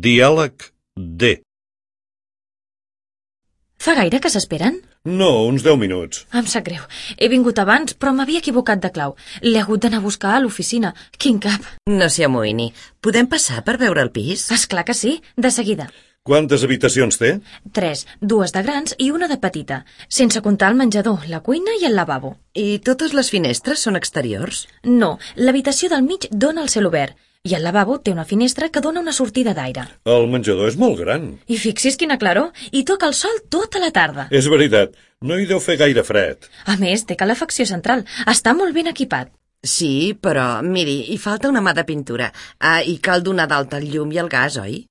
Diàleg D. Fa gaire que s'esperen? No, uns 10 minuts. Em sap greu. He vingut abans, però m'havia equivocat de clau. L'he hagut d'anar a buscar a l'oficina. Quin cap. No s'hi amoïni. Podem passar per veure el pis? Esclar que sí, de seguida. Quantes habitacions té? 3, 2 de grans i una de petita, sense comptar el menjador, la cuina i el lavabo. I totes les finestres són exteriors? No, l'habitació del mig dona al cel obert i el lavabo té una finestra que dona una sortida d'aire. El menjador és molt gran. I fixi's quina claror, i toca el sol tota la tarda. És veritat, no hi deu fer gaire fred. A més, té calefacció central. Està molt ben equipat. Sí, però, miri, hi falta una mà de pintura. I cal donar d'alta el llum i el gas, oi?